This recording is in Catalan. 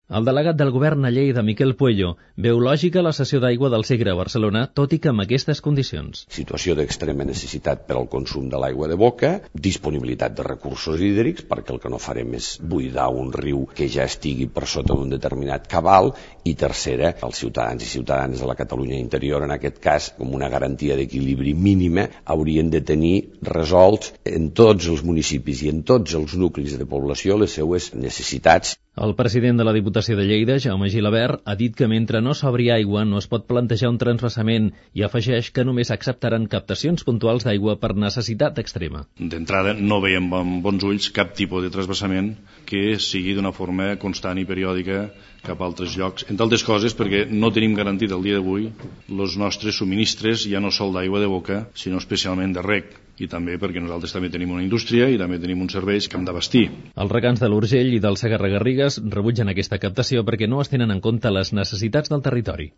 El delegat del govern a Lleida, Miquel Puello, veu lògica la cessió d'aigua del Segre a Barcelona, tot i que amb aquestes condicions. Situació d'extrema necessitat per al consum de l'aigua de boca, disponibilitat de recursos hídrics, perquè el que no farem és buidar un riu que ja estigui per sota d'un determinat cabal, i tercera, els ciutadans i ciutadanes de la Catalunya interior, en aquest cas, com una garantia d'equilibri mínima, haurien de tenir resolts en tots els municipis i en tots els nuclis de població les seues necessitats. El president de la Diputació de Lleida, Jaume Gilabert, ha dit que mentre no s'obri aigua no es pot plantejar un transvasament i afegeix que només acceptaran captacions puntuals d'aigua per necessitat extrema. D'entrada, no veiem amb bons ulls cap tipus de transvasament que sigui d'una forma constant i periòdica cap a altres llocs. Entre altres coses, perquè no tenim garantit el dia d'avui els nostres subministres ja no sol d'aigua de boca, sinó especialment de reg. I també perquè nosaltres també tenim una indústria i també tenim uns serveis que hem d'abastir. Els regants de l'Urgell i del Segarra-Garrigues rebutgen aquesta captació perquè no es tenen en compte les necessitats del territori.